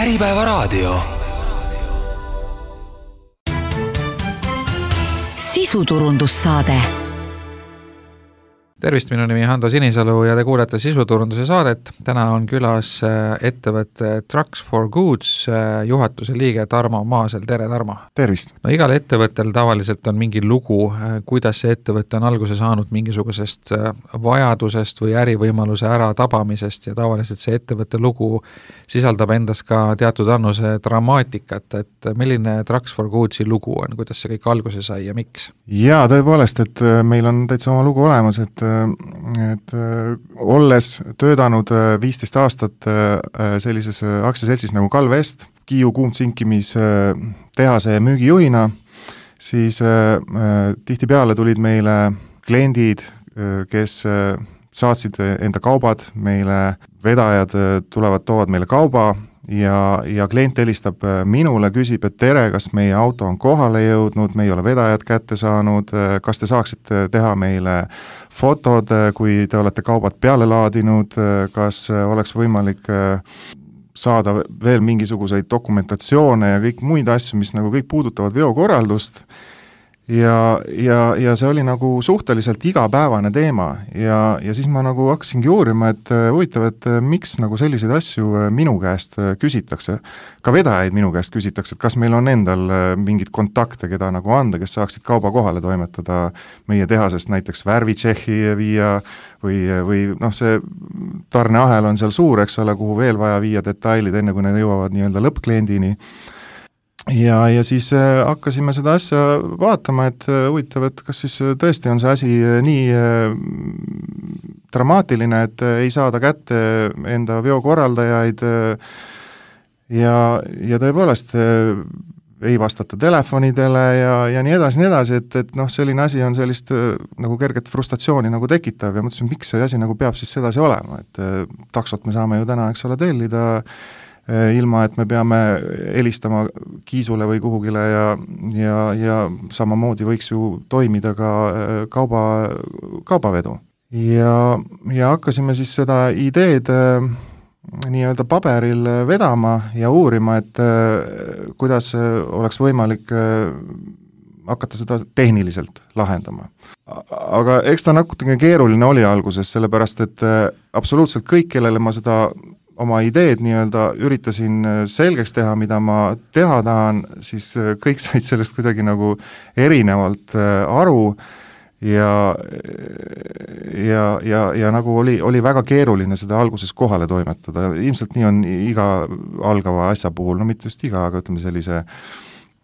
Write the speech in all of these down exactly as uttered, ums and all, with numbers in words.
Äripäevaraadio. Sisuturundussaade. Tervist, minu nimi Hando Sinisalu ja te kuulete sisuturunduse saadet. Täna on külas ettevõtte Trucks for Goods juhatuse liige Tarmo Maasel. Tere, Tarmo! Tervist! No igal ettevõttel tavaliselt on mingi lugu, kuidas see ettevõtte on alguse saanud mingisugusest vajadusest või ärivõimaluse ära tabamisest ja tavaliselt see ettevõtte lugu sisaldab endas ka teatud annuse dramaatikat, et milline Trucks for Goodsi lugu on, kuidas see kõik alguse sai ja miks? Jaa, tõepoolest, et meil on täitsa oma lugu olemas, et et olles töötanud viisteist aastat sellises aktsiaseltsis nagu Kalvest, Kiiu kuumtsinkimis tehase müügijuhina, siis tihtipeale tulid meile kliendid, kes saatsid enda kaubad, meile vedajad tulevad, toovad meile kauba ja, ja klient helistab minule, küsib, et tere, kas meie auto on kohale jõudnud, me ei ole vedajad kätte saanud, kas te saaksite teha meile fotod, kui te olete kaubad peale laadinud, kas oleks võimalik saada veel mingisuguseid dokumentatsioone ja kõik muid asju, mis nagu kõik puudutavad veokorraldust. Ja, ja, ja see oli nagu suhteliselt igapäevane teema ja, ja siis ma nagu hakkasingi uurima, et huvitav, et miks nagu selliseid asju minu käest küsitakse. Ka vedajaid minu käest küsitakse, et kas meil on endal mingid kontakte, keda nagu anda, kes saaksid kauba kohale toimetada meie tehasest näiteks värvitšehhi viia või, või noh, see tarneahel on seal suur, eks ole, kuhu veel vaja viia detailid, enne kui need jõuavad nii-öelda lõppkliendini. Ja, ja siis äh, hakkasime seda asja vaatama, et äh, huvitav, et kas siis tõesti on see asi äh, nii äh, dramaatiline, et äh, ei saada kätte enda veokorraldajaid äh, ja, ja tõepoolest äh, ei vastata telefonidele ja, ja nii edasi, nii edasi, et, et noh, selline asi on sellist äh, nagu kerget frustratsiooni nagu tekitav ja mõtlesin, miks see asi nagu peab siis sedasi olema, et äh, taksot me saame ju täna, eks ole, tellida ilma, et me peame helistama kiisule või kuhugile ja, ja, ja samamoodi võiks ju toimida ka kauba, kaubavedu. Ja, ja hakkasime siis seda ideed nii-öelda paberil vedama ja uurima, et kuidas oleks võimalik hakata seda tehniliselt lahendama. Aga eks ta natuke keeruline oli alguses, sellepärast et absoluutselt kõik, kellele ma seda oma ideed nii-öelda üritasin selgeks teha, mida ma teha tahan, siis kõik said sellest kuidagi nagu erinevalt aru ja, ja, ja, ja nagu oli, oli väga keeruline seda alguses kohale toimetada. Ilmselt nii on iga algava asja puhul, no mitte just iga, aga ütleme sellise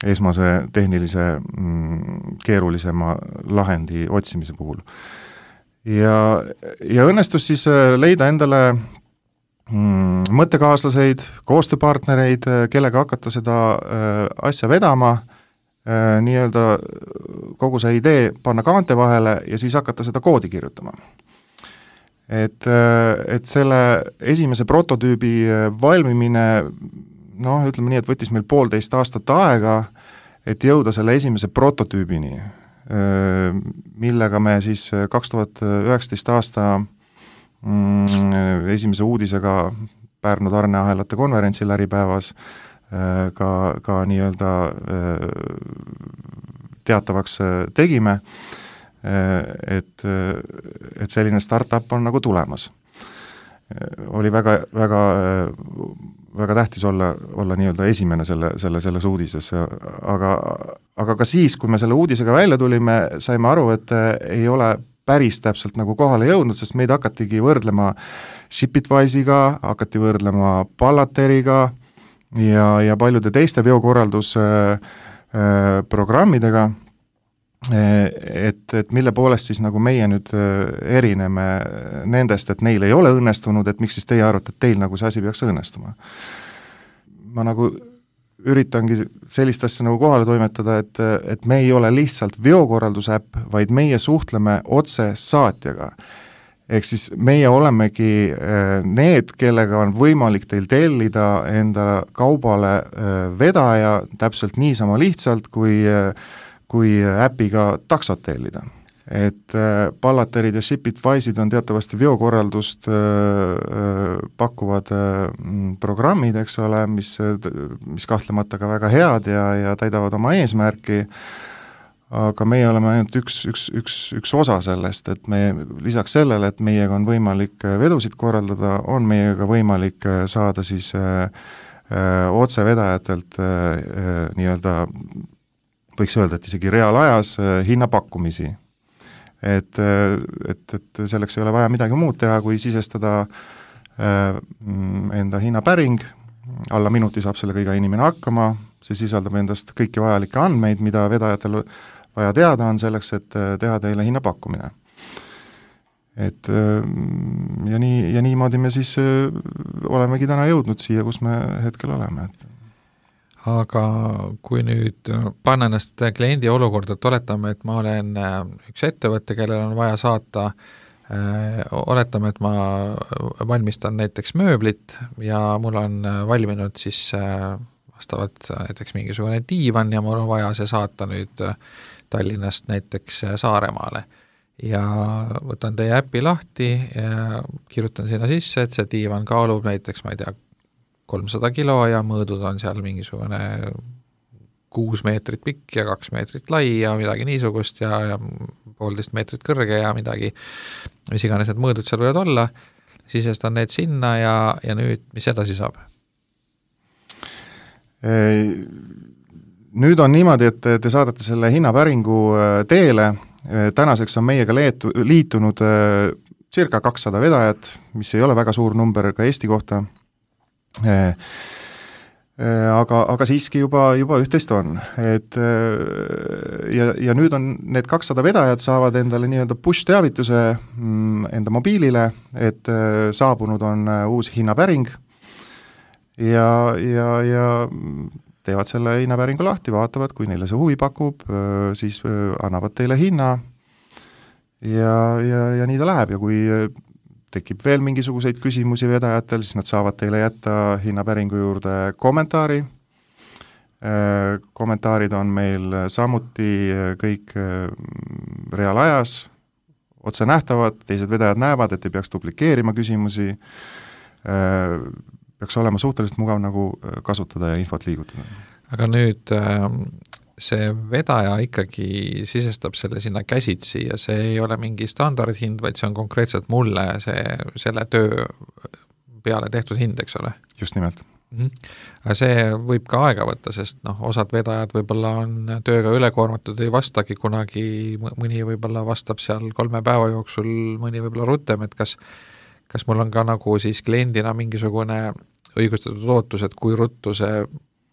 esmase tehnilise mm, keerulisema lahendi otsimise puhul. Ja, ja õnnestus siis leida endale Mm, mõttekaaslaseid, koostööpartnereid, kellega hakata seda äh, asja vedama, äh, nii-öelda kogu see idee panna kaante vahele ja siis hakata seda koodi kirjutama. Et, äh, et selle esimese prototüübi valmimine, noh, ütleme nii, et võttis meil poolteist aastat aega, et jõuda selle esimese prototüübini, äh, millega me siis kaks tuhat üheksateist aasta esimese uudisega Pärnu tarneahelate konverentsil Äripäevas ka, ka nii-öelda teatavaks tegime, et, et selline startup on nagu tulemas. Oli väga, väga, väga tähtis olla, olla nii-öelda esimene selle, selle, selles uudises, aga, aga ka siis, kui me selle uudisega välja tulime, saime aru, et ei ole päris täpselt nagu kohale jõudnud, sest meid hakatigi võrdlema Shipitwise'iga, hakati võrdlema Pallateriga ja, ja paljude teiste veokorraldusprogrammidega, et, et mille poolest siis nagu meie nüüd erineme nendest, et neil ei ole õnnestunud, et miks siis teie arvate, et teil nagu see asi peaks õnnestuma. Ma nagu üritangi sellist asja nagu kohale toimetada, et, et me ei ole lihtsalt veokorraldusäpp, vaid meie suhtleme otse saatjaga. Ehk siis meie olemegi need, kellega on võimalik teil tellida enda kaubale vedaja täpselt niisama lihtsalt, kui, kui äpiga taksot tellida. et Pallaterid ja Shipitwise'id on teatavasti veokorraldust pakkuvad programmid, eks ole, mis, mis kahtlemata ka väga head ja, ja täidavad oma eesmärki, aga meie oleme ainult üks, üks, üks, üks osa sellest, et me lisaks sellele, et meiega on võimalik vedusid korraldada, on meiega võimalik saada siis öö, otsevedajatelt öö, nii-öelda, võiks öelda, et isegi reaalajas öö, hinnapakkumisi. Et, et, et selleks ei ole vaja midagi muud teha, kui sisestada äh, enda hinnapäring, alla minuti saab sellega iga inimene hakkama, see sisaldab endast kõiki vajalikke andmeid, mida vedajatel vaja teada on selleks, et teha teile hinnapakkumine. Et ja, nii, ja niimoodi me siis olemegi täna jõudnud siia, kus me hetkel oleme, et aga kui nüüd panna ennast kliendi olukorda, et oletame, et ma olen üks ettevõtte, kellel on vaja saata, oletame, et ma valmistan näiteks mööblit ja mul on valminud siis vastavalt näiteks mingisugune diivan ja mul on vaja see saata nüüd Tallinnast näiteks Saaremaale. Ja võtan teie äppi lahti ja kirjutan sinna sisse, et see diivan kaalub näiteks, ma ei tea, kolmsada kilo ja mõõdud on seal mingisugune kuus meetrit pikk ja kaks meetrit lai ja midagi niisugust ja, ja poolteist meetrit kõrge ja midagi, mis iganes need mõõdud seal võivad olla, sisestan need sinna ja, ja nüüd, mis edasi saab? Nüüd on niimoodi, et te saadate selle hinnapäringu teele, tänaseks on meiega leetu, liitunud circa kakssada vedajat, mis ei ole väga suur number ka Eesti kohta, aga, aga siiski juba, juba üht-teist on, et ja, ja nüüd on need kakssada vedajat saavad endale nii-öelda push-teavituse enda mobiilile, et saabunud on uus hinnapäring ja, ja, ja teevad selle hinnapäringu lahti, vaatavad, kui neile see huvi pakub, siis annavad teile hinna ja, ja, ja nii ta läheb ja kui tekib veel mingisuguseid küsimusi vedajatel, siis nad saavad teile jätta hinnapäringu juurde kommentaari. Kommentaarid on meil samuti kõik reaalajas, otse nähtavad, teised vedajad näevad, et ei peaks duplikeerima küsimusi, peaks olema suhteliselt mugav nagu kasutada ja infot liigutada. Aga nüüd see vedaja ikkagi sisestab selle sinna käsitsi ja see ei ole mingi standardhind, vaid see on konkreetselt mulle see, selle töö peale tehtud hind, eks ole? Just nimelt. Mm-hmm. Aga see võib ka aega võtta, sest noh, osad vedajad võib-olla on tööga ülekoormatud, ei vastagi kunagi, mõni võib-olla vastab seal kolme päeva jooksul, mõni võib-olla rutem, et kas, kas mul on ka nagu siis kliendina mingisugune õigustatud ootus, et kui ruttu see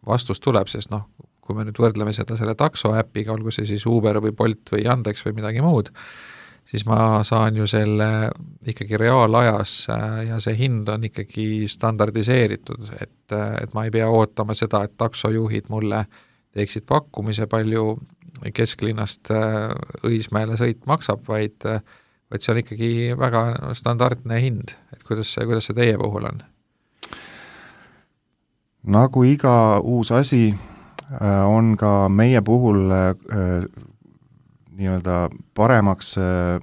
vastus tuleb, sest noh, kui me nüüd võrdleme seda selle takso äpiga, olgu see siis Uber või Bolt või Yandex või midagi muud, siis ma saan ju selle ikkagi reaalajas ja see hind on ikkagi standardiseeritud, et, et ma ei pea ootama seda, et taksojuhid mulle teeksid pakkumise, palju kesklinnast Õismäele sõit maksab, vaid, vaid see on ikkagi väga standardne hind, et kuidas see, kuidas see teie puhul on? Nagu iga uus asi, on ka meie puhul äh, nii-öelda paremaks äh,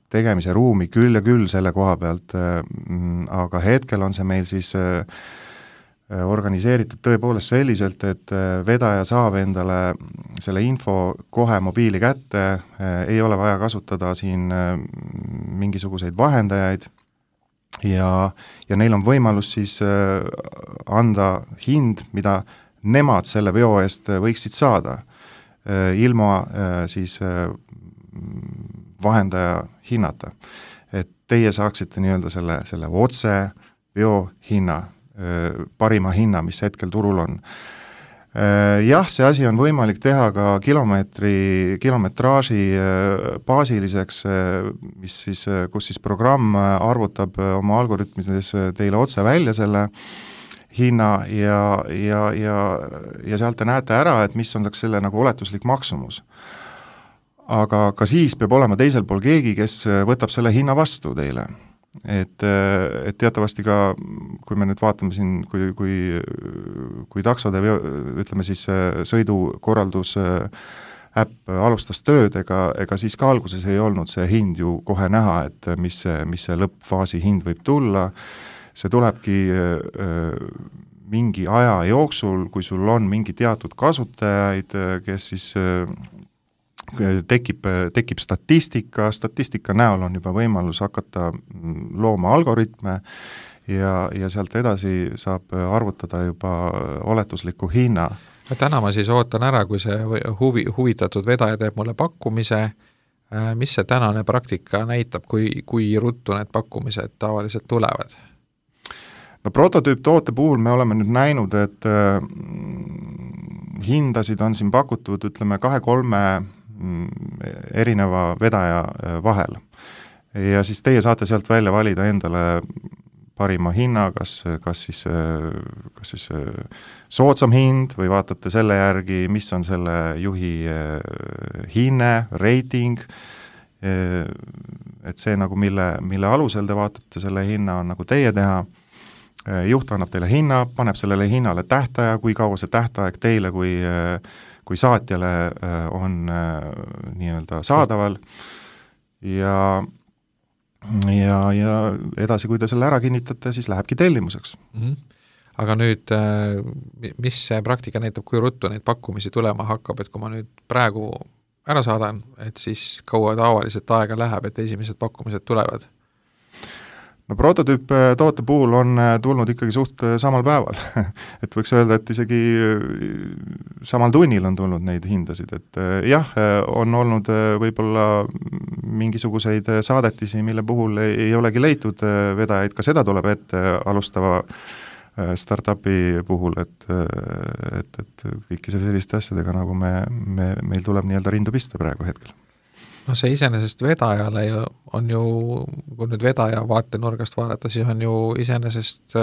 tegemise ruumi küll ja küll selle koha pealt äh,, aga hetkel on see meil siis äh, organiseeritud tõepoolest selliselt, et äh, vedaja saab endale selle info kohe mobiili kätte äh,, ei ole vaja kasutada siin äh, mingisuguseid vahendajaid ja, ja neil on võimalus siis äh, anda hind, mida nemad selle veo eest võiksid saada, ilma siis vahendaja hinnata. Et teie saaksite nii-öelda selle, selle otse veo hinna, parima hinna, mis hetkel turul on. Jah, see asi on võimalik teha ka kilomeetri, kilometraaži baasiliseks, mis siis, kus siis programm arvutab oma algoritmides teile otse välja selle hinna ja, ja, ja, ja sealt te näete ära, et mis on selle nagu oletuslik maksumus. Aga ka siis peab olema teisel pool keegi, kes võtab selle hinna vastu teile. Et, et teatavasti ka, kui me nüüd vaatame siin, kui, kui, kui taksode, ütleme siis sõidukorraldus äpp alustas tööd, ega, ega siis ka alguses ei olnud see hind ju kohe näha, et mis see, mis see lõppfaasi hind võib tulla, see tulebki mingi aja jooksul, kui sul on mingi teatud kasutajaid, kes siis tekib, tekib statistika, statistika näol on juba võimalus hakata looma algoritme ja, ja sealt edasi saab arvutada juba oletusliku hinna. Täna ma siis ootan ära, kui see huvi, huvitatud vedaja teeb mulle pakkumise, mis see tänane praktika näitab, kui, kui ruttu need pakkumised tavaliselt tulevad? No prototüüptoote puhul me oleme nüüd näinud, et äh, hindasid on siin pakutud, ütleme, kahe-kolme erineva vedaja vahel. Ja siis teie saate sealt välja valida endale parima hinna, kas, kas siis, kas siis soodsam hind või vaatate selle järgi, mis on selle juhi hinne, rating, et see nagu mille, mille alusel te vaatate selle hinna on nagu teie teha, juht annab teile hinna, paneb sellele hinnale tähtaja, kui kaua see tähtaeg teile kui kui saatjale on nii-öelda saadaval ja, ja, ja edasi, kui te selle ära kinnitate, siis lähebki tellimuseks. Mm-hmm. Aga nüüd, mis see praktika näitab, kui ruttu neid pakkumisi tulema hakkab, et kui ma nüüd praegu ära saadan, et siis kaua tavaliselt aega läheb, et esimesed pakkumised tulevad? No prototüüp toote puhul on tulnud ikkagi suht samal päeval, et võiks öelda, et isegi samal tunnil on tulnud neid hindasid, et jah, on olnud võib-olla mingisuguseid saadetisi, mille puhul ei olegi leitud vedajaid, ka seda tuleb ette alustava startupi puhul, et, et, et kõiki selliste asjadega, nagu me, me, meil tuleb nii-öelda rindu pista praegu hetkel. No see iseenesest vedajale on ju, kui nüüd vedaja vaatenurgast vaadata, siis on ju iseenesest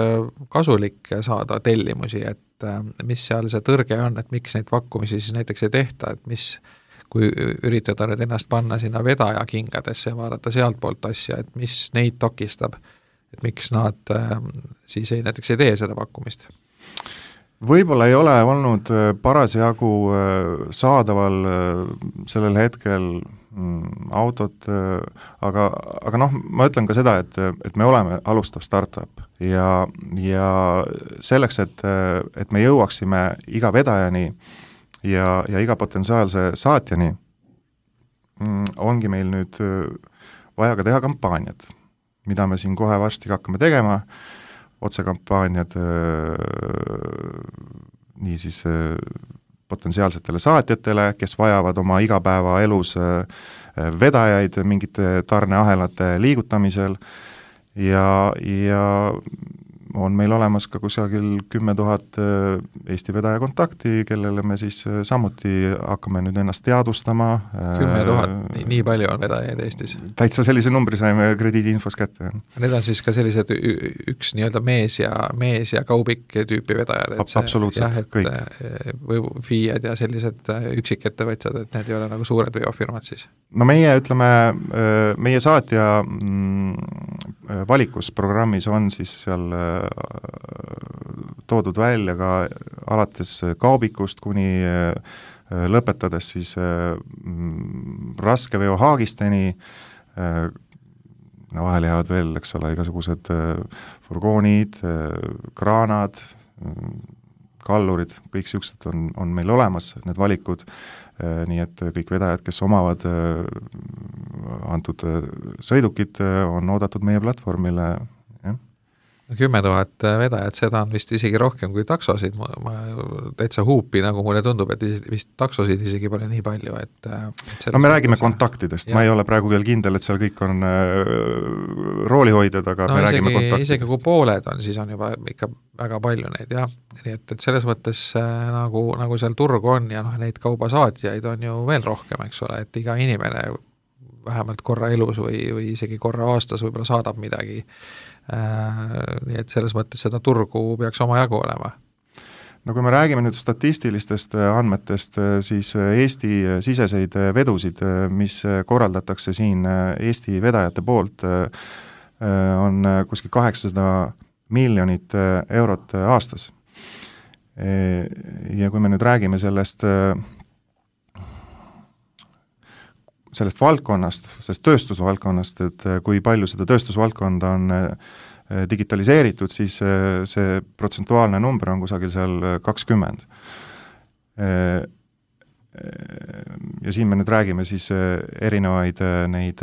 kasulik saada tellimusi, et mis seal see tõrge on, et miks neid pakkumisi siis näiteks ei tehta, et mis, kui üritada nüüd ennast panna sinna vedaja kingadesse ja vaadata sealt poolt asja, et mis neid takistab, et miks nad siis ei, näiteks ei tee seda pakkumist? Võib-olla ei ole olnud parasjagu saadaval sellel hetkel autot, aga, aga noh, ma ütlen ka seda, et, et me oleme alustav startup ja, ja selleks, et, et me jõuaksime iga vedajani ja, ja iga potentsiaalse saatjani, ongi meil nüüd vaja ka teha kampaaniad, mida me siin kohe varsti hakkame tegema, otsekampaaniad nii siis potentsiaalsetele saatjatele, kes vajavad oma igapäevaelus vedajaid mingite tarneahelate liigutamisel ja, ja on meil olemas ka kusagil kümme tuhat Eesti vedaja kontakti, kellele me siis samuti hakkame nüüd ennast teadvustama. kümme tuhat, nii, nii palju on vedajaid Eestis? Täitsa sellise numbri saime krediidiinfos kätte. Need on siis ka sellised üks nii-öelda mees ja, mees ja kaubik tüüpi vedajad? See, absoluutselt, jah, kõik. Või FIE-d ja sellised üksikettevõtjad, et need ei ole nagu suured veofirmad siis? No meie, ütleme, meie saatja valikus programmis on siis seal toodud välja ka alates kaubikust kuni lõpetades siis raske veohaagisteni, no vahel jäävad veel, eks ole, igasugused furgoonid, kraanad, kallurid, kõik siuksed on, on meil olemas, need valikud, nii et kõik vedajad, kes omavad antud sõidukid, on oodatud meie platvormile. Kümme tuhat vedajat, seda on vist isegi rohkem kui taksosid, ma, ma täitsa huupi, nagu mulle tundub, et vist taksosid isegi pole nii palju, et, et no me räägime see... kontaktidest, ja. Ma ei ole praegu veel kindel, et seal kõik on äh, roolihoidjad, aga no, me isegi, räägime kontaktidest. Isegi kui pooled on, siis on juba ikka väga palju neid, jah. Nii et, et selles mõttes äh, nagu, nagu seal turgu on ja noh, neid kaubasaatjaid on ju veel rohkem, eks ole, et iga inimene vähemalt korra elus või, või isegi korra aastas võib-olla saadab midagi. Äh, nii et selles mõttes seda turgu peaks oma jagu olema. No kui me räägime nüüd statistilistest andmetest, siis Eesti siseseid vedusid, mis korraldatakse siin Eesti vedajate poolt, on kuskil kaheksasada miljonit eurot aastas. Ja kui me nüüd räägime sellest sellest valdkonnast, sellest tööstusvaldkonnast, et kui palju seda tööstusvaldkonda on digitaliseeritud, siis see protsentuaalne number on kusagil seal kakskümmend. Ja siin me nüüd räägime siis erinevaid neid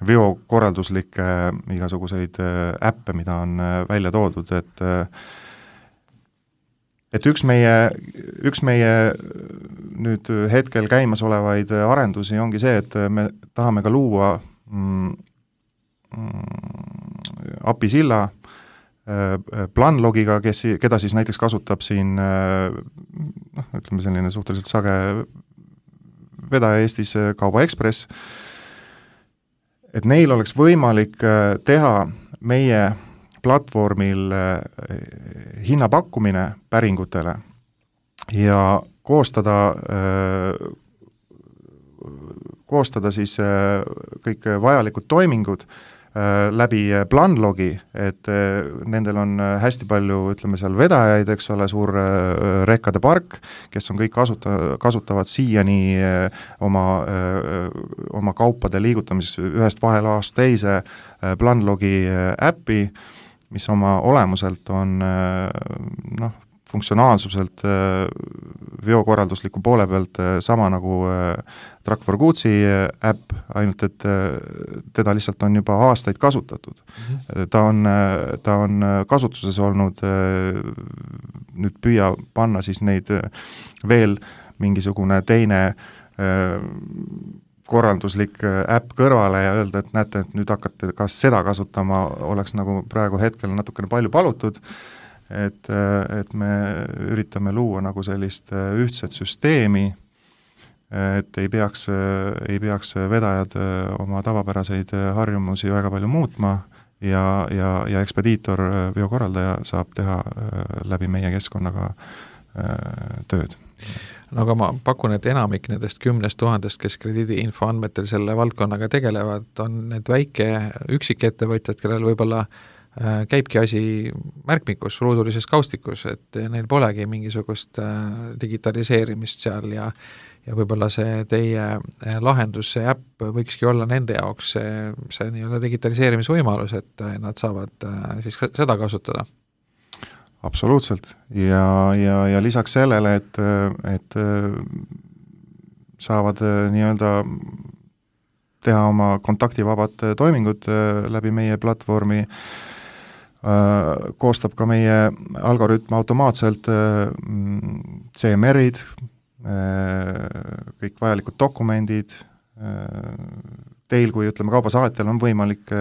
veokorralduslikke igasuguseid äppe, mida on välja toodud, et et üks meie, üks meie nüüd hetkel käimas olevaid arendusi ongi see, et me tahame ka luua mm, mm, apisilla Planlogiga, kes, keda siis näiteks kasutab siin noh, ütleme selline suhteliselt sage vedaja Eestis Kauba Ekspress, et neil oleks võimalik teha meie platvormil hinnapakkumine päringutele ja koostada, koostada siis kõik vajalikud toimingud läbi Planlogi, et nendel on hästi palju, ütleme seal vedajaid, eks ole, suur rekkade park, kes on kõik kasuta, kasutavad siiani oma, oma kaupade liigutamises ühest vahelaast teise Planlogi äppi, mis oma olemuselt on noh, funktsionaalsuselt veokorraldusliku poole pealt sama nagu Truck for Goodsi äpp, ainult et teda lihtsalt on juba aastaid kasutatud. Mm-hmm. Ta on, ta on kasutuses olnud, nüüd püüa panna siis neid veel mingisugune teine korralduslik äpp kõrvale ja öelda, et näete, et nüüd hakkate kas seda kasutama, oleks nagu praegu hetkel natukene palju palutud, et, et me üritame luua nagu sellist ühtset süsteemi, et ei peaks, ei peaks vedajad oma tavapäraseid harjumusi väga palju muutma ja, ja, ja ekspediitor, veokorraldaja saab teha läbi meie keskkonnaga tööd. No aga ma pakun, et enamik nendest kümnest tuhandest, kes krediidiinfo andmetel selle valdkonnaga tegelevad, on need väike üksikettevõtjad, kellel võib-olla käibki asi märkmikus, ruudulises kaustikus, et neil polegi mingisugust digitaliseerimist seal ja, ja võib-olla see teie lahendus, see äpp võikski olla nende jaoks see, see nii-öelda digitaliseerimisvõimalus, et nad saavad siis seda kasutada. Absoluutselt ja, ja, ja lisaks sellele, et, et saavad nii-öelda teha oma kontaktivabad toimingud läbi meie platvormi, koostab ka meie algoritm automaatselt C M R-id, kõik vajalikud dokumendid, teil kui ütleme kaubasaatjal on võimalik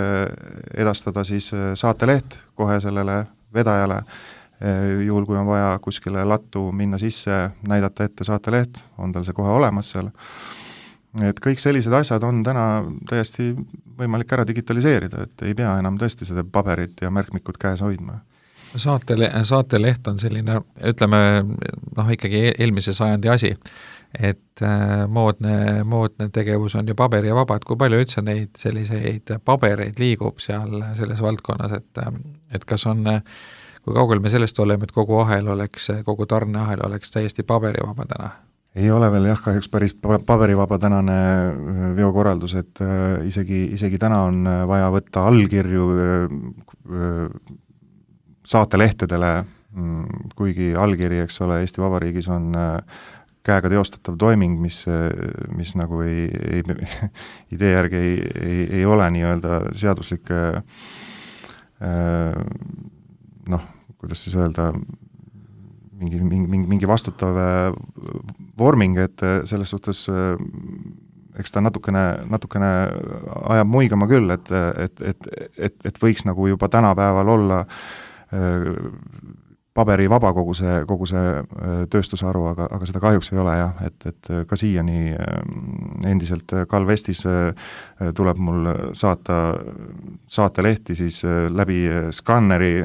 edastada siis saateleht kohe sellele vedajale, juhul kui on vaja kuskile lattu minna sisse, näidata ette saateleht, on tal see kohe olemas seal. Et kõik sellised asjad on täna täiesti võimalik ära digitaliseerida, et ei pea enam tõesti seda paberit ja märkmikut käes hoidma. Saatele, saateleht on selline, ütleme, noh ikkagi eelmise sajandi asi, et moodne, moodne tegevus on ju paberi ja vaba, et kui palju üldse neid selliseid pabereid liigub seal selles valdkonnas, et, et kas on, kui kaugel me sellest oleme, et kogu ahel oleks, kogu tarneahel oleks täiesti paberivaba täna? Ei ole veel jah, kahjuks päris paberivaba tänane veokorraldus, et isegi, isegi täna on vaja võtta allkirju saatelehtedele, kuigi allkiri, eks ole, Eesti Vabariigis on käega teostatav toiming, mis, mis nagu ei, ei, idee järgi ei, ei, ei ole nii-öelda seaduslik noh, kuidas siis öelda, mingi, mingi, mingi vastutav vorming, et selles suhtes eks ta natukene, natukene ajab muigama küll, et, et, et, et, et võiks nagu juba tänapäeval olla paberi vaba kogu see, kogu see tööstusharu, aga, aga seda kahjuks ei ole jah, et, et ka siiani endiselt Calvestis tuleb mul saata saatelehti siis läbi skanneri,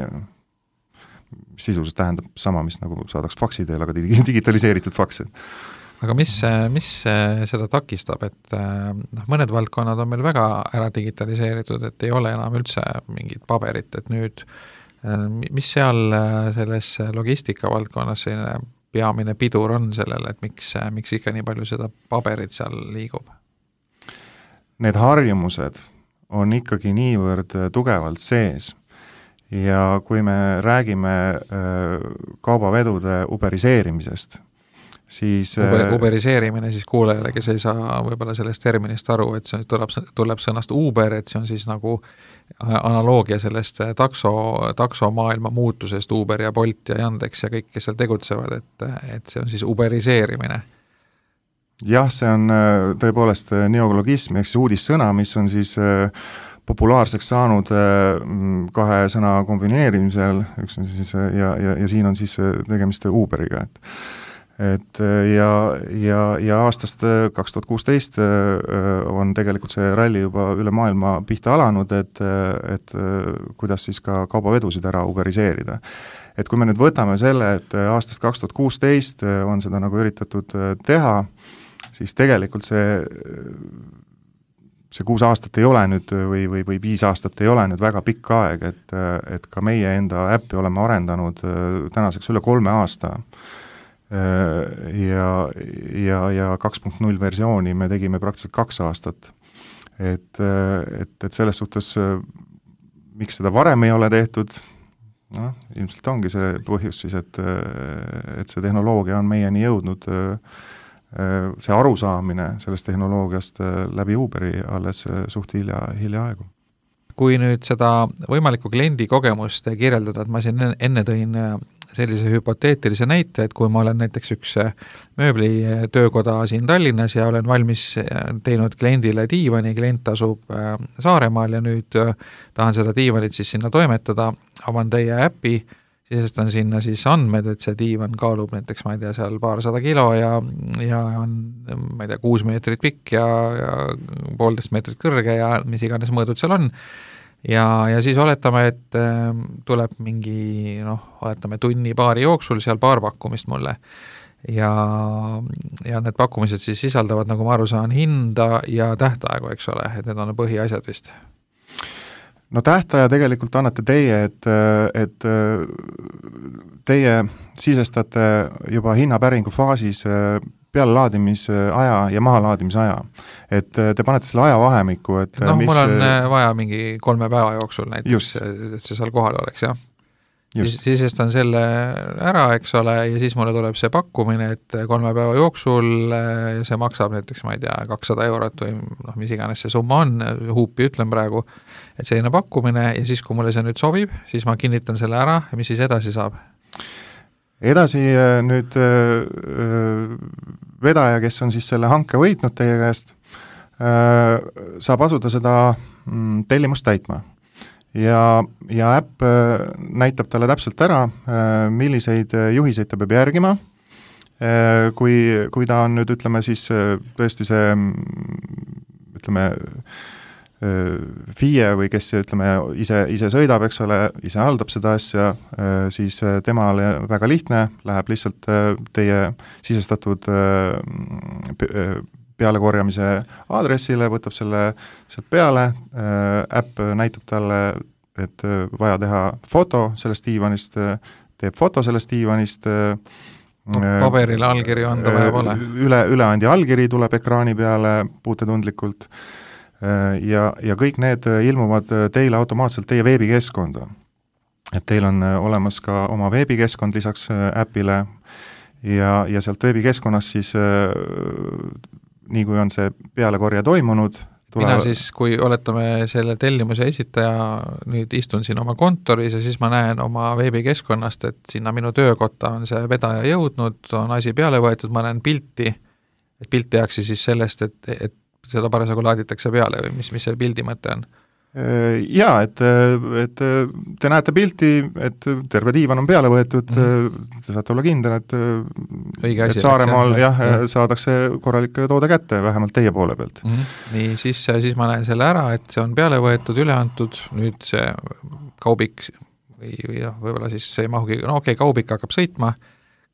sisuliselt tähendab sama, mis nagu saadaks faksi teel, aga digitaliseeritud faks. Aga mis, mis seda takistab, et noh, mõned valdkonnad on meil väga ära digitaliseeritud, et ei ole enam üldse mingit paberit, et nüüd mis seal selles logistika valdkonnas selline peamine pidur on sellele, et miks, miks ikka nii palju seda paberit seal liigub? need harjumused on ikkagi niivõrd tugevalt sees ja kui me räägime kaubavedude uberiseerimisest, siis Uber, uberiseerimine siis kuulajale, kes ei saa võib-olla sellest terminist aru, et see tuleb, tuleb sõnast Uber, et see on siis nagu analoogia sellest takso, taksomaailma muutusest, Uber ja Bolt ja Yandex ja kõik, kes seal tegutsevad, et, et see on siis uberiseerimine. Jah, see on tõepoolest neologism, ehk siis uudissõna, mis on siis populaarseks saanud kahe sõna kombineerimisel, üks on siis ja, ja, ja siin on siis tegemist Uberiga, et et ja, ja, ja aastast kaks tuhat kuusteist on tegelikult see ralli juba üle maailma pihta alanud, et, et kuidas siis ka kaubavedusid ära uberiseerida. Et kui me nüüd võtame selle, et aastast kaks tuhat kuusteist on seda nagu üritatud teha, siis tegelikult see see kuus aastat ei ole nüüd või, või, või viis aastat ei ole nüüd väga pikk aeg, et, et ka meie enda äppi oleme arendanud tänaseks üle kolme aasta ja, ja, ja kaks punkt null versiooni me tegime praktiliselt kaks aastat. Et, et, et selles suhtes, miks seda varem ei ole tehtud, no, ilmselt ongi see põhjus siis, et, et see tehnoloogia on meieni jõudnud see arusaamine sellest tehnoloogiast läbi Uberi alles suht hilja, hilja aegu. Kui nüüd seda võimalikku kliendi kogemust kirjeldada, et ma siin enne tõin sellise hüpoteetilise näite, et kui ma olen näiteks üks mööblitöökoda siin Tallinnas ja olen valmis teinud kliendile diivani, klient asub Saaremaal ja nüüd tahan seda diivanit siis sinna toimetada, avan teie äpi, sisestan sinna siis andmed, et see diivan kaalub näiteks, ma ei tea, seal paarsada kilo ja, ja on, ma ei tea, kuus meetrit pikk ja, ja poolteist meetrit kõrge ja mis iganes mõõdud seal on. Ja, ja siis oletame, et tuleb mingi, noh, oletame tunni paari jooksul seal paar pakkumist mulle. Ja, ja need pakkumised siis sisaldavad, nagu ma aru saan, hinda ja tähtaegu, eks ole, et need on põhiasjad vist. No tähtaja tegelikult annate teie, et, et teie sisestate juba hinnapäringu faasis pealelaadimisaja ja mahalaadimisaja. Et te panete selle aja vahemikku, et noh, mis... mul on vaja mingi kolme päeva jooksul näiteks, et see seal kohal oleks, jah. Just. Sisestan selle ära, eks ole, ja siis mulle tuleb see pakkumine, et kolme päeva jooksul see maksab näiteks, ma ei tea, kakssada eurot või noh, mis iganes see summa on, huupi ütlen praegu, et selline pakkumine ja siis, kui mulle see nüüd sobib, siis ma kinnitan selle ära ja mis siis edasi saab? Edasi nüüd vedaja, kes on siis selle hanke võitnud teie käest, saab asuda seda tellimust täitma. Ja, ja äpp näitab talle täpselt ära, milliseid juhiseid ta peab järgima, kui, kui ta on nüüd, ütleme siis tõesti see, ütleme, F I E või kes, ütleme, ise, ise sõidab, eks ole, ise haldab seda asja, siis temale väga lihtne, läheb lihtsalt teie sisestatud pealekorjamise aadressile, võtab selle sealt peale, äpp näitab talle, et vaja teha foto sellest diivanist, teeb foto sellest diivanist, paberile allkiri anda vaja pole. Üle, üleandja allkiri tuleb ekraani peale puutetundlikult ja, ja kõik need ilmuvad teile automaatselt teie veebikeskkonda. Et teil on olemas ka oma veebikeskkond lisaks äpile ja, ja sealt veebikeskkonnas siis nii kui on see pealekorja toimunud, tule... Mina siis, kui oletame selle tellimuse esitaja, nüüd istun siin oma kontoris ja siis ma näen oma veebikeskkonnast, et sinna minu töökotta on see vedaja jõudnud, on asi peale võetud, ma näen pilti, et pilt tehakse siis sellest, et, et seda parasjagu laaditakse peale või mis, mis see pildi mõte on? Jaa, et, et te näete pilti, et terve diivan on peale võetud, mm-hmm. te saate olla kindel, et, et Saaremaal jah, jah, saadakse korralik toode kätte, vähemalt teie poole pealt. Mm-hmm. Nii, siis, siis ma näen selle ära, et see on peale võetud, üle antud, nüüd see kaubik või, või noh, võib-olla siis see ei mahugi, no okei, okay, kaubik hakkab sõitma,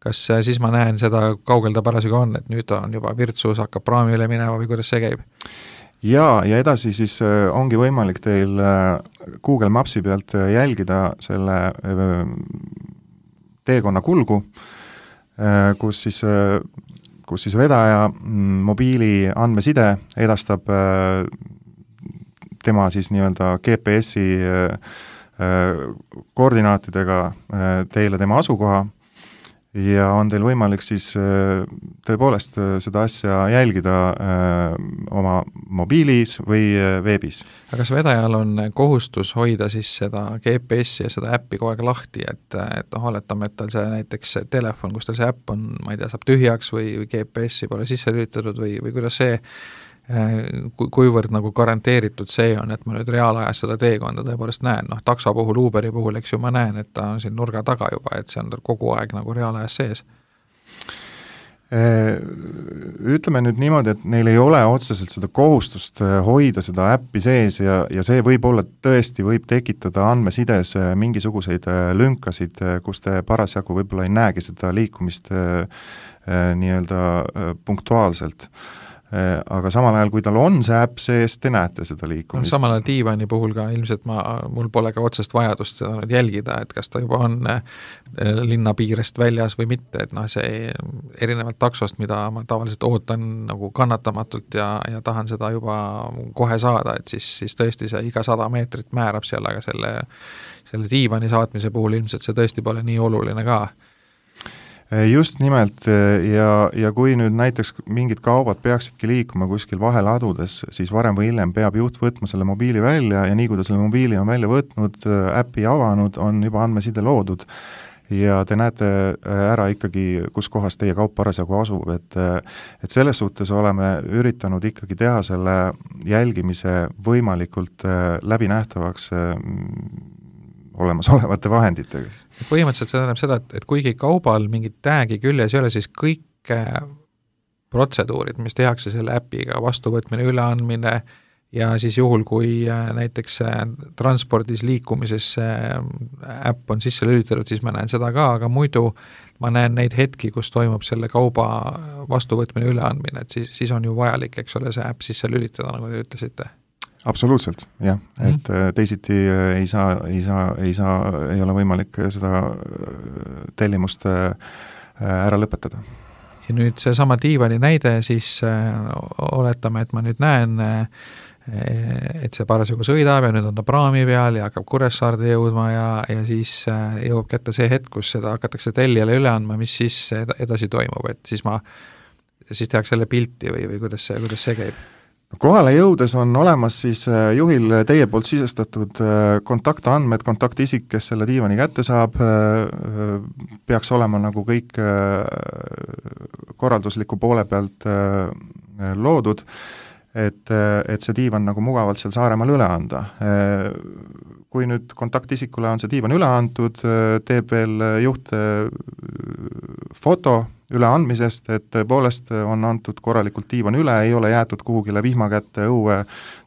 kas siis ma näen seda, kaugel ta parasjagu on, et nüüd on juba virtsus, hakkab praamile minema või kuidas see käib? Ja, ja edasi siis ongi võimalik teil Google Mapsi pealt jälgida selle teekonna kulgu, kus siis, kus siis vedaja mobiili andmeside edastab tema siis nii-öelda G P S-i koordinaatidega teile tema asukoha ja on teil võimalik siis tõepoolest seda asja jälgida oma mobiilis või veebis. aga kas vedajal on kohustus hoida siis seda G P S-i ja seda äppi kogu aeg lahti, et, et noh, oletame, et tal see näiteks telefon, kus tal see äpp on, ma ei tea, saab tühjaks või, või G P S-i pole sisse lülitatud või, või kuidas see Ku, kuivõrd nagu garanteeritud see on, et ma nüüd reaalajas seda teekonda tõepoolest näen, noh takso puhul, Uberi puhul, eks ju, ma näen, et ta on siin nurga taga juba, et see on kogu aeg nagu reaalajas sees. Ütleme nüüd niimoodi, et neil ei ole otseselt seda kohustust hoida seda äppi sees ja, ja see võib-olla tõesti võib tekitada andmesides mingisuguseid lünkasid, kus te parasjagu võib-olla ei näegi seda liikumist nii-öelda punktuaalselt. Aga samal ajal, kui tal on see äpp sees, te näete seda liikumist. Samal ajal diivani puhul ka ilmselt ma, mul pole ka otsest vajadust seda nüüd jälgida, et kas ta juba on linna piirest väljas või mitte, et noh, see erinevalt taksost, mida ma tavaliselt ootan nagu kannatamatult ja, ja tahan seda juba kohe saada, et siis, siis tõesti see iga sada meetrit määrab seal, aga selle, selle diivani saatmise puhul ilmselt see tõesti pole nii oluline ka. Just nimelt ja, ja kui nüüd näiteks mingid kaubad peaksidki liikuma kuskil vaheladudes, siis varem või hiljem peab juht võtma selle mobiili välja ja nii kui ta selle mobiili on välja võtnud, äppi avanud, on juba andmeside loodud ja te näete ära ikkagi, kus kohas teie kaup parasjagu asub, et, et selles suhtes oleme üritanud ikkagi teha selle jälgimise võimalikult läbinähtavaks olemasolevate vahenditega. Põhimõtteliselt see tähendab seda, et, et kuigi kaubal mingit täägi küljes ei ole, siis kõik protseduurid, mis tehakse selle äpiga, vastuvõtmine, üleandmine ja siis juhul, kui näiteks transpordis liikumises äpp on sisse lülitatud, siis ma näen seda ka, aga muidu ma näen neid hetki, kus toimub selle kauba vastuvõtmine, üleandmine, et siis, siis on ju vajalik, eks ole, see äpp sisse lülitada, nagu te ütlesite. Absoluutselt, jah, et mm. teisiti ei saa, ei saa, ei saa, ei ole võimalik seda tellimust ära lõpetada. Ja nüüd see sama diivani näide, siis oletame, et ma nüüd näen, et see parasjagu sõidab ja nüüd on ta praami peal ja hakkab Kuressaarde jõudma ja, ja siis jõuab kätte see hetk, kus seda hakatakse tellijale üle andma, mis siis edasi toimub, et siis ma, siis tehakse selle pilti või, või kuidas see, kuidas see käib? Kohale jõudes on olemas siis juhil teie poolt sisestatud kontaktandmed, kontaktisik, kes selle diivani kätte saab, peaks olema nagu kõik korraldusliku poole pealt loodud, et, et see diivan nagu mugavalt seal Saaremaal üle anda. Kui nüüd kontaktisikule on see diivan üle antud, teeb veel juht foto üleandmisest, et tõepoolest on antud korralikult diivan üle, ei ole jäetud kuhugile vihma kätte õue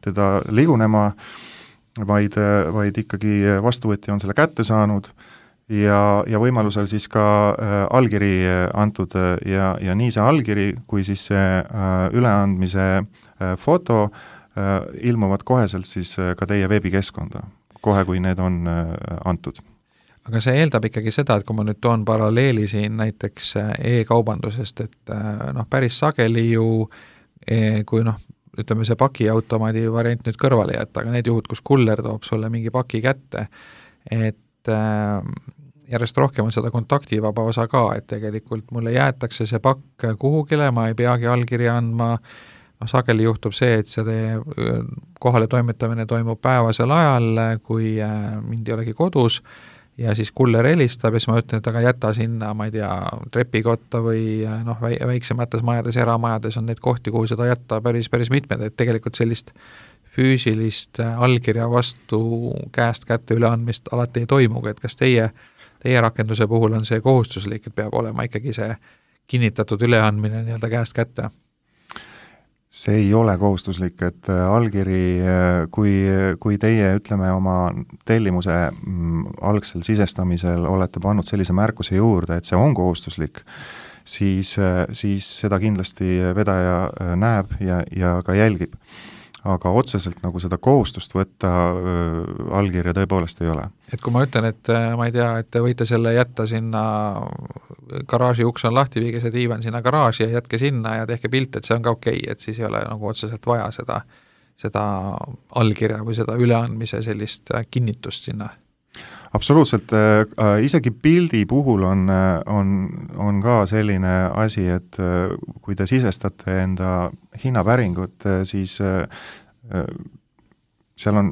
teda ligunema, vaid, vaid ikkagi vastuvõtja on selle kätte saanud ja, ja võimalusel siis ka äh, allkiri antud ja, ja nii see allkiri kui siis see äh, üleandmise äh, foto äh, ilmuvad koheselt siis äh, ka teie veebikeskkonda, kohe kui need on äh, antud. Aga see eeldab ikkagi seda, et kui ma nüüd toon paralleeli siin näiteks e-kaubandusest, et noh, päris sageli ju, kui noh, ütleme see pakiautomaadi variant nüüd kõrvale jätta, aga need juhud, kus kuller toob sulle mingi paki kätte, et järjest rohkem on seda kontaktivaba osa ka, et tegelikult mulle jäetakse see pakk kuhugile, ma ei peagi allkirja andma, noh, sageli juhtub see, et see kohale toimetamine toimub päevasel ajal, kui mind ei olegi kodus, ja siis kuller helistab ja siis ma ütlen, et aga jäta sinna, ma ei tea, trepikotta või noh, väiksemates majades, eramajades on neid kohti, kuhu seda jätta päris, päris mitmed, et tegelikult sellist füüsilist allkirja vastu käest kätte üleandmist alati ei toimugi, et kas teie, teie rakenduse puhul on see kohustuslik, et peab olema ikkagi see kinnitatud üleandmine nii-öelda käest kätte? See ei ole kohustuslik, et allkiri, kui, kui teie, ütleme, oma tellimuse algsel sisestamisel olete pannud sellise märkuse juurde, et see on kohustuslik, siis, siis seda kindlasti vedaja näeb ja, ja ka jälgib. Aga otseselt nagu seda kohustust võtta allkirja tõepoolest ei ole. Et kui ma ütlen, et ma ei tea, et te võite selle jätta sinna, garaaži uks on lahti, viige see diivan sinna garaaži ja jätke sinna ja tehke pilt, et see on ka okei, et siis ei ole nagu otseselt vaja seda, seda allkirja või seda üleandmise sellist kinnitust sinna? Absoluutselt, isegi pildi puhul on, on, on ka selline asi, et kui te sisestate enda hinnapäringut, siis seal on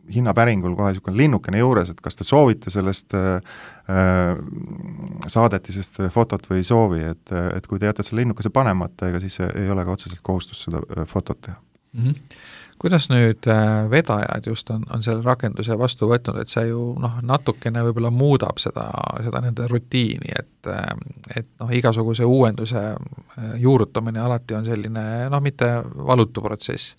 hinnapäringul kohe niisugune linnukene juures, et kas te soovite sellest saadetisest fotot või ei soovi, et, et kui te jätate selle linnukese panemata, ega siis ei ole ka otseselt kohustust seda fotot teha. Mm-hmm. Kuidas nüüd vedajad just on, on selle rakenduse vastu võtnud, et see ju noh, natukene võib-olla muudab seda, seda nende rutiini, et, et noh, igasuguse uuenduse juurutamine alati on selline noh, mitte valutu protsess.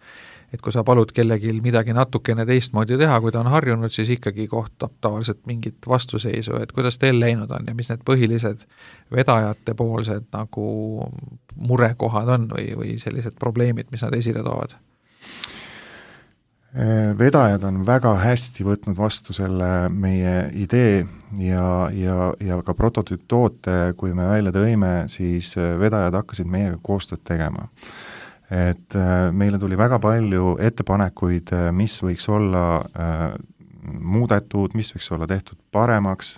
Et kui sa palud kellelgi midagi natukene teistmoodi teha, kui ta on harjunud, siis ikkagi kohtab tavaliselt mingit vastuseisu, et kuidas teil läinud on ja mis need põhilised vedajate poolsed nagu murekohad on või, või sellised probleemid, mis nad esile toovad? Vedajad on väga hästi võtnud vastu selle meie idee ja, ja, ja ka prototüüptoote, kui me välja tõime, siis vedajad hakkasid meiega koostööd tegema. Et meile tuli väga palju ettepanekuid, mis võiks olla äh, muudetud, mis võiks olla tehtud paremaks.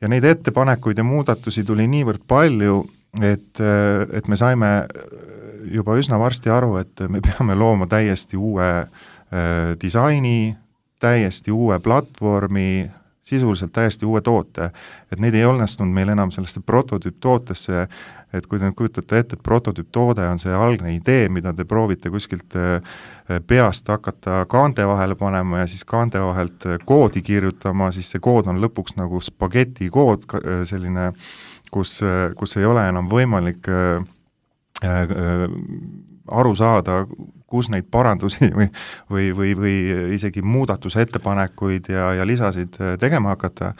Ja neid ettepanekuid ja muudatusi tuli niivõrd palju, et, et me saime juba üsna varsti aru, et me peame looma täiesti uue disaini, täiesti uue platvormi, sisuliselt täiesti uue toote, et neid ei õnnestunud meil enam sellesse prototüüptootesse, et kui te kujutate ette, et prototüüptoode on see algne idee, mida te proovite kuskilt peast hakata kaante vahele panema ja siis kaante vahelt koodi kirjutama, siis see kood on lõpuks nagu spageti kood, selline, kus, kus ei ole enam võimalik aru saada, kus neid parandusi või, või, või, või isegi muudatuse ettepanekuid ja, ja lisasid tegema hakata,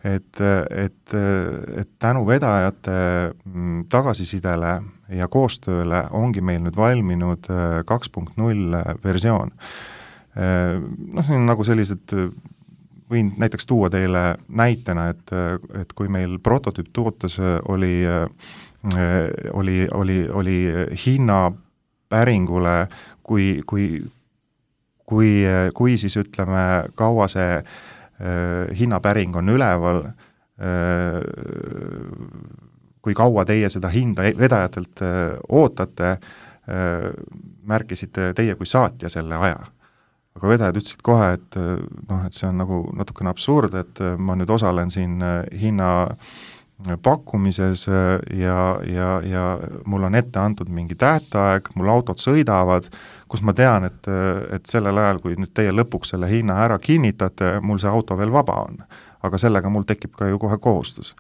et, et, et tänu vedajate tagasisidele ja koostööle ongi meil nüüd valminud kaks punkt null versioon. Noh, see on nagu sellised, võin näiteks tuua teile näitena, et, et kui meil prototüüp tootes oli, oli, oli, oli hinna päringule, kui, kui, kui, kui siis ütleme, kaua see äh, hinnapäring on üleval, äh, kui kaua teie seda hinda vedajatelt äh, ootate, äh, märkisite teie kui saatja selle aja. Aga vedajad ütlesid kohe, et, noh, et see on nagu natukene absurd, et ma nüüd osalen siin hinna pakkumises ja, ja, ja mul on ette antud mingi tähtaeg, mul autod sõidavad, kus ma tean, et, et sellel ajal, kui nüüd teie lõpuks selle hinna ära kinnitate, mul see auto veel vaba on. Aga sellega mul tekib ka ju kohe kohustus.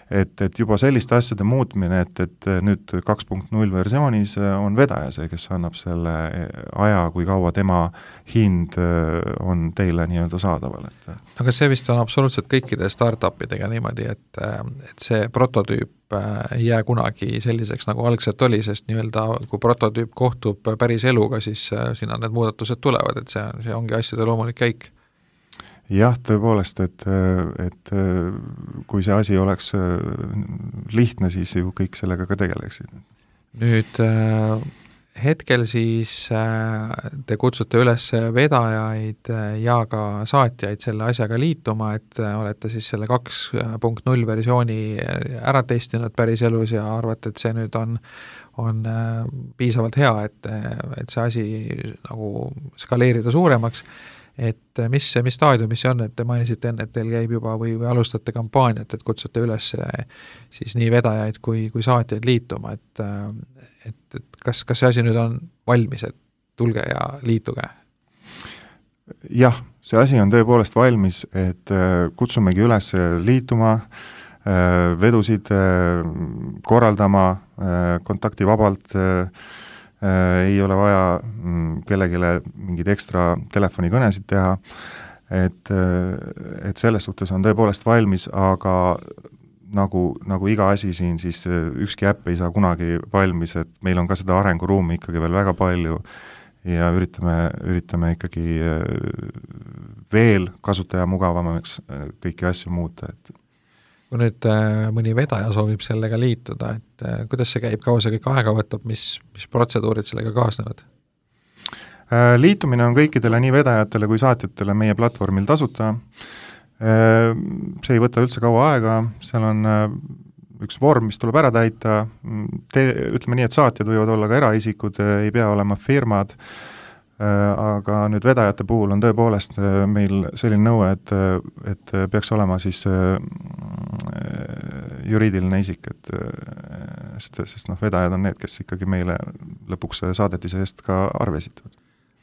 Et, et juba selliste asjade muutmine, et, et nüüd kaks punkt null versioonis on vedaja see, kes annab selle aja, kui kaua tema hind on teile nii-öelda saadaval. Et. Aga see vist on absoluutselt kõikide start-upidega niimoodi, et, et see prototüüp ei jää kunagi selliseks, nagu algselt oli, sest nii-öelda kui prototüüp kohtub päris eluga, siis sinna need muudatused tulevad, et see, see ongi asjade loomulik käik. Jah, tõepoolest, et, et kui see asi oleks lihtne, siis ju kõik sellega ka tegeleksid. Nüüd hetkel siis te kutsute üles vedajaid ja ka saatjaid selle asjaga liituma, et olete siis selle kaks punkt null versiooni ära testinud päris elus ja arvate, et see nüüd on, on piisavalt hea, et, et see asi nagu skaleerida suuremaks. Et mis, mis staadiumis see on, et te mainisite enne, et teil käib juba või, või alustate kampaaniat, et kutsute üles siis nii vedajaid kui, kui saatjaid liituma, et, et, et kas, kas see asi nüüd on valmis, et tulge ja liituge? Jah, see asi on tõepoolest valmis, et kutsumegi üles liituma, vedusid korraldama kontaktivabalt, ei ole vaja kellelegi mingeid ekstra telefonikõnesid teha, et, et selles suhtes on tõepoolest valmis, aga nagu, nagu iga asi siin, siis ükski äpp ei saa kunagi valmis, et meil on ka seda arenguruumi ikkagi veel väga palju ja üritame, üritame ikkagi veel kasutaja mugavamaks kõiki asju muuta, et kui nüüd mõni vedaja soovib sellega liituda, et kuidas see käib, kaua see kõik aega võtab, mis, mis protseduurid sellega kaasnevad? Liitumine on kõikidele nii vedajatele kui saatjatele meie platvormil tasuta. See ei võta üldse kaua aega, seal on üks vorm, mis tuleb ära täita, Te, ütleme nii, et saatjad võivad olla ka eraisikud, ei pea olema firmad, aga nüüd vedajate puhul on tõepoolest meil selline nõue, et, et peaks olema siis juriidiline isik, et sest, sest noh, vedajad on need, kes ikkagi meile lõpuks saadetise eest ka arve esitavad.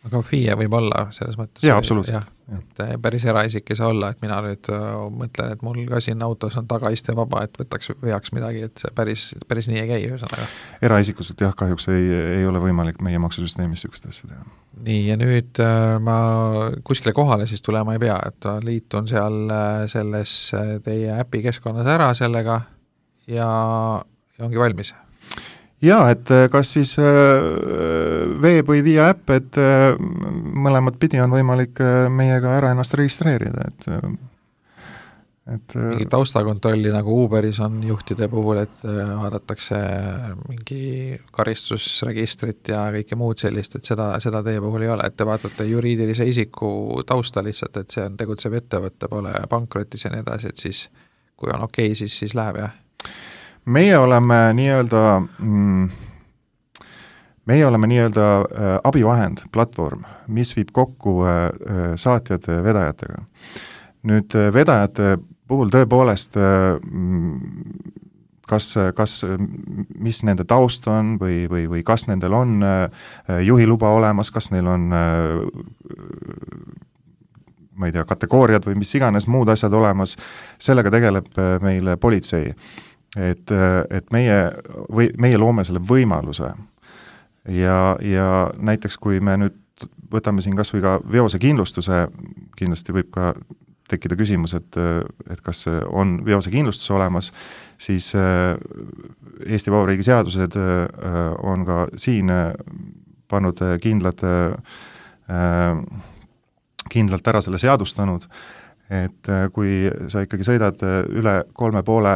Aga F I E võib olla selles mõttes? Jaa, absoluutselt. Ja, et päris eraisik ei saa olla, et mina nüüd mõtlen, et mul ka siin autos on tagaiste vaba, et võtaks veaks midagi, et see päris, päris nii ei käi ühesõnaga. Eraisikuselt jah, kahjuks ei, ei ole võimalik meie maksusüsteemis sükest asja teha. Nii, ja nüüd ma kuskile kohale siis tulema ei pea, et liitun seal selles teie äpi keskkonnas ära sellega ja, ja ongi valmis. Jaa, et kas siis veeb või via äpp, et mõlemat pidi on võimalik meiega ära ennast registreerida, et, et mingi taustakontrolli nagu Uberis on juhtide puhul, et vaadatakse mingi karistusregistrit ja kõike muud sellist, et seda, seda teie puhul ei ole, et te vaatate juriidilise isiku tausta lihtsalt, et see on tegutsev ettevõtte, pole pankrotis ja nii edasi, et siis kui on okei, okay, siis, siis läheb, jah. Meie oleme nii-öelda mm, meie oleme nii-öelda äh, abivahend, platvorm, mis viib kokku äh, saatjad vedajatega. Nüüd äh, vedajate puhul tõepoolest äh, kas, kas, mis nende taust on või, või, või kas nendel on äh, juhiluba olemas, kas neil on äh, ma ei tea, kategooriad või mis iganes muud asjad olemas, sellega tegeleb äh, meil politsei. Et, et meie, või, meie loome selle võimaluse ja, ja näiteks kui me nüüd võtame siin kas või ka veosekindlustuse, kindlasti võib ka tekkida küsimus, et, et kas on veosekindlustus olemas, siis Eesti Vabariigi seadused on ka siin pannud kindlad, kindlalt ära selle seadustanud, et kui sa ikkagi sõidad üle kolme poole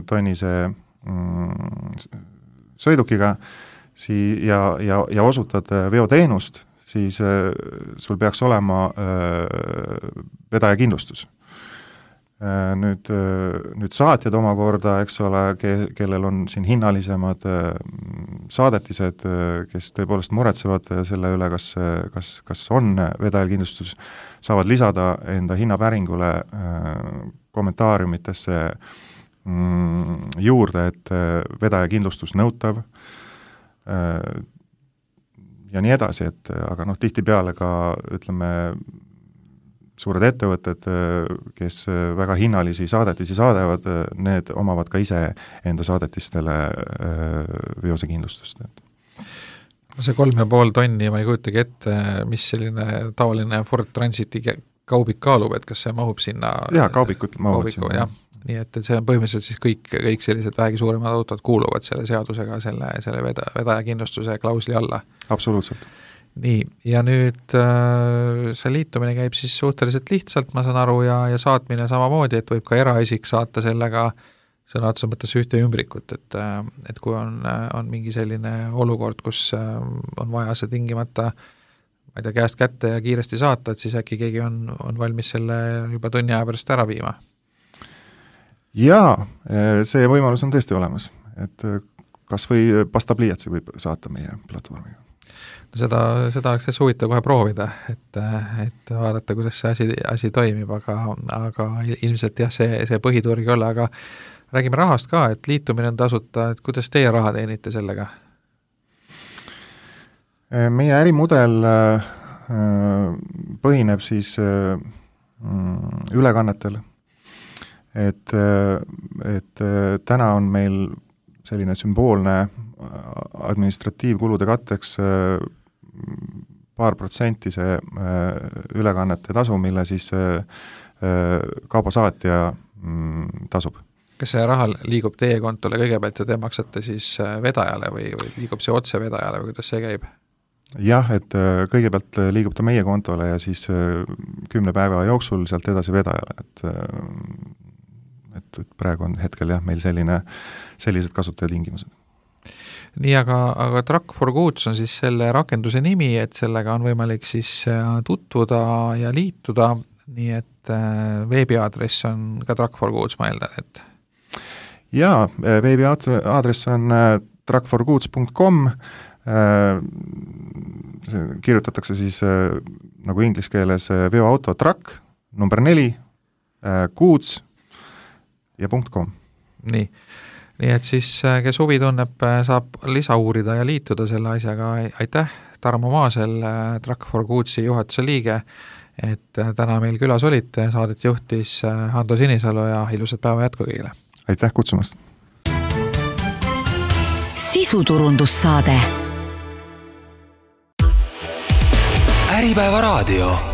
tonnise sõidukiga sii- ja, ja, ja osutad veoteenust, siis sul peaks olema vedajakindlustus. Nüüd, nüüd saatjad omakorda, eks ole, ke-, kellel on siin hinnalisemad saadetised, kes tõepoolest muretsevad selle üle, kas, kas, kas on vedajakindlustus, saavad lisada enda hinnapäringule kommentaariumitesse juurde, et vedajakindlustus nõutav ja nii edasi, et aga noh, tihtipeale ka ütleme, suured ettevõtted, kes väga hinnalisi saadetisi saadavad, need omavad ka ise enda saadetistele veosekindlustust. See kolm ja pool tonni, ma ei kujutagi ette, mis selline tavaline Ford Transiti kaubik kaalub, et kas see mahub sinna? Jaa, kaubikud mahuvad sinna. Jah. Nii et, et see on põhimõtteliselt siis kõik, kõik sellised vähegi suuremad autod kuuluvad selle seadusega, selle, selle veda, vedajakindlustuse klausli alla. Absoluutselt. Nii, ja nüüd äh, see liitumine käib siis suhteliselt lihtsalt, ma saan aru, ja, ja saatmine samamoodi, et võib ka eraisik saata sellega sõna otsa mõttes ühte ümbrikut, et, et kui on, on mingi selline olukord, kus on vaja see tingimata, ma ei tea, käest kätte ja kiiresti saata, et siis äkki keegi on, on valmis selle juba tunni aja pärast ära viima? Jaa, see võimalus on tõesti olemas, et kas või pastapliiatsi võib saata meie platvormiga. Seda, seda oleks täitsa huvitav kohe proovida, et, et vaadata, kuidas see asi, asi toimib, aga, aga ilmselt jah, see, see põhiturg ei ole, aga räägime rahast ka, et liitumine on tasuta, et kuidas teie raha teenite sellega? Meie ärimudel põhineb siis ülekannetel, et, et täna on meil selline sümboolne administratiivkulude katteks paar protsenti see ülekannete tasu, mille siis kaubasaatja tasub. Kas see raha liigub teie kontole kõigepealt ja te maksate siis vedajale või, või liigub see otse vedajale või kuidas see käib? Jah, et kõigepealt liigub ta meie kontole ja siis kümne päeva jooksul sealt edasi vedajale, et, et, et praegu on hetkel jah, meil selline, sellised kasutajatingimused. nii, aga, aga Truck for Goods on siis selle rakenduse nimi, et sellega on võimalik siis tutvuda ja liituda, nii et veebiaadress on ka Truck for Goods, ma eeldan, et jaa, veebiaadress on truck for goods punkt com, kirjutatakse siis nagu inglise keeles veoauto truck, number neli, goods ja .com. Nii, nii et siis, kes huvi tunneb, saab lisa uurida ja liituda selle asjaga. Aitäh, Tarmo Maasel, Truck for Goodsi juhatuse liige, et täna meil külas olite, saadet juhtis Hando Sinisalu ja ilusat päeva jätku kõigile. Aitäh kutsumast! Sisuturundussaade. Äripäeva raadio.